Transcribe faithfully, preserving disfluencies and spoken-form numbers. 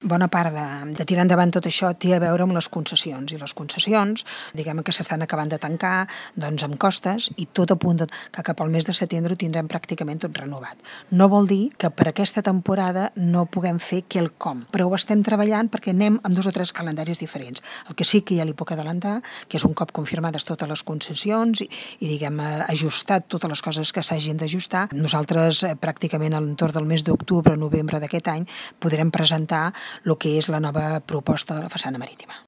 bona part de, de tirar endavant tot això té a veure amb les concessions, i les concessions, diguem que s'estan acabant de tancar, doncs amb costes, i tot apunta que cap al mes de setembre ho tindrem pràcticament tot renovat. No vol dir que per aquesta temporada no puguem fer quelcom, però ho estem treballant perquè anem amb dos o tres calendaris diferents. El que sí que ja li puc adelantar, que és un cop confirmades totes les concessions i, i diguem, ajustat totes les coses que s'hagin d'ajustar, nosaltres eh, pràcticament a l'entorn del mes d'octubre o novembre d'aquest any podrem presentar el que és la nova proposta de la façana marítima.